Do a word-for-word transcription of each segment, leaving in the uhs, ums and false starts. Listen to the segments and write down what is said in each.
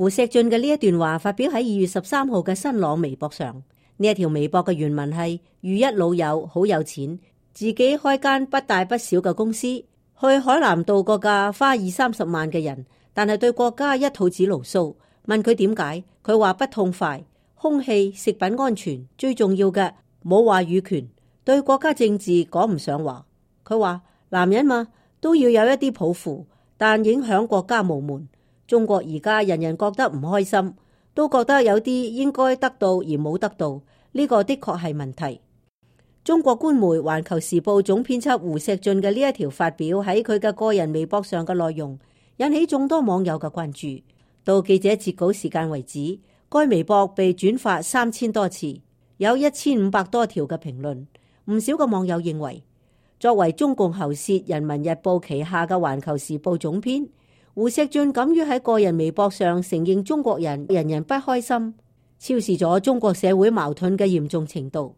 胡錫進嘅呢一段話發表喺二月十三號嘅新浪微博上。呢一條微博嘅原文係：遇一老友好有錢，自己開間不大不小嘅公司，去海南度個假花二三十萬嘅人，但係對國家一肚子牢騷。問佢點解，佢話不痛快，空氣、食品安全最重要嘅冇話語權，對國家政治講唔上話。佢話男人嘛都要有一啲抱負，但影響國家無門。中國而家人人覺得唔開心，都覺得有啲應該得到而冇得到，呢個的確係問題。中國官媒《環球時報》總編輯胡錫進嘅呢一條發表喺佢嘅個人微博上嘅內容，引起眾多網友嘅關注。到記者截稿時間為止，該微博被轉發三千多次，有一千五百多條嘅評論。唔少嘅網友認為，作為中共喉舌《人民日報》旗下嘅《環球時報》總編，胡錫進敢於喺個人微博上承認中國人人人不開心，超視咗中國社會矛盾嘅嚴重程度。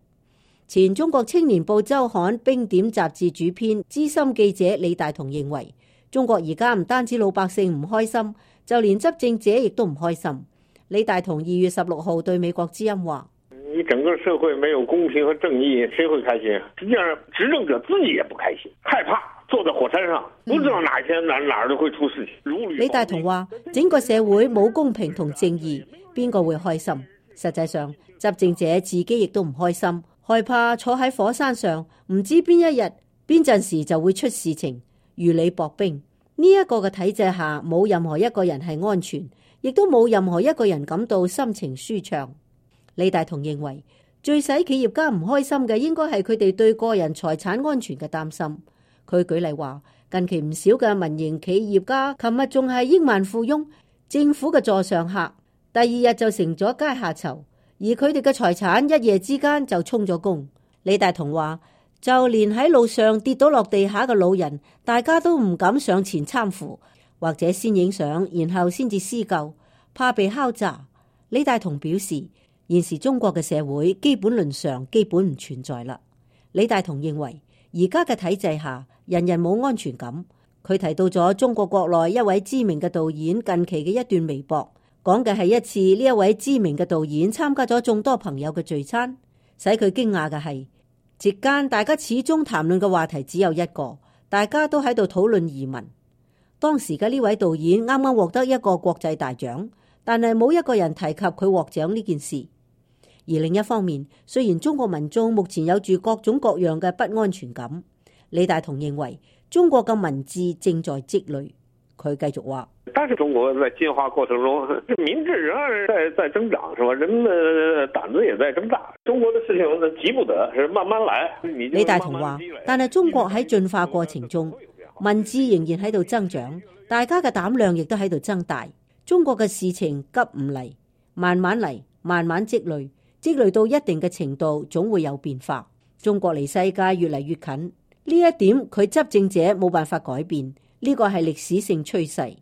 前中國青年報周刊冰點雜誌主編資深記者李大同認為，中國而家唔單止老百姓唔開心，就連執政者亦都唔開心。李大同二月十六號對美國之音話：你整個社會沒有公平和正義，誰會開心？實際上執政者自己也不開心，害怕坐在火山上，不知道哪一天哪哪兒都會出事情。李大同話：整個社會冇公平同正義，邊個會開心？實際上執政者自己亦都唔開心，害怕坐喺火山上，唔知邊一日邊陣時就會出事情，如履薄冰。呢一個嘅體制下，冇任何一個人係安全，亦都冇任何一個人感到心情舒暢。李大同認為，最使企業家唔開心嘅應該係佢哋對個人財產安全嘅擔心。佢舉例話，近期唔少嘅民營企業家，琴日仲係億萬富翁，政府嘅座上客，第二日就成咗階下囚，而佢哋嘅財產一夜之間就充咗公。李大同話，就連喺路上跌倒落地下嘅老人，大家都唔敢上前攙扶，或者先影相，然後先至施救，怕被敲詐。李大同表示，現時中國嘅社會基本論上基本唔存在啦。李大同認為，而家嘅體制下，人人冇安全感。佢提到咗中國國內一位知名嘅導演近期嘅一段微博，講嘅係一次呢一位知名嘅導演參加咗眾多朋友嘅聚餐，使佢驚訝嘅係，席間大家始終談論嘅話題只有一個，大家都喺度討論移民。當時嘅呢位導演啱啱獲得一個國際大獎，但係冇一個人提及佢獲獎呢件事。而另一方面，雖然中國民眾目前有住各種各樣嘅不安全感，李大同認為中國嘅民智正在積累。佢繼續話，但是中國在進化過程中，民智仍然在在增長，是吧？人們的膽子也在增大。中國的事情急不得，是慢慢來。李大同話，但係中國喺進化過程中，民智仍然喺度增長，大家嘅膽量亦都喺度增大。中國嘅事情急唔嚟，慢慢嚟，慢慢積累，積累到一定嘅程度，總會有變化。中國離世界越嚟越近，呢一點佢執政者冇辦法改變。呢個係歷史性趨勢。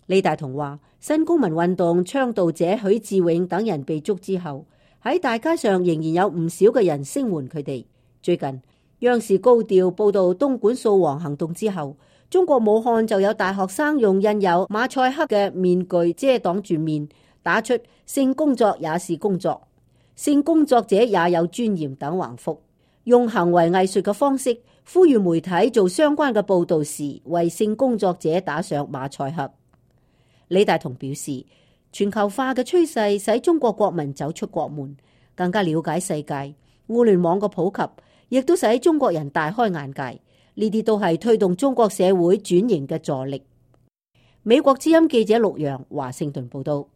李大同話，新公民運動倡導者許志永等人被捉之後，喺大街上仍然有唔少嘅人聲援佢哋。最近央視高調報道東莞掃黃行動之後，中國武漢就有大學生用印有馬賽克嘅面具遮擋住面，打出性工作也是工作，性工作者也有尊嚴等橫幅，用行為藝術嘅方式呼籲媒體做相關嘅報道時，為性工作者打上馬賽克。李大同表示，全球化嘅趨勢使中國國民走出國門，更加了解世界。互聯網嘅普及，亦都使中國人大開眼界。呢啲都係推動中國社會轉型嘅助力。美國之音記者陸洋華盛頓報道。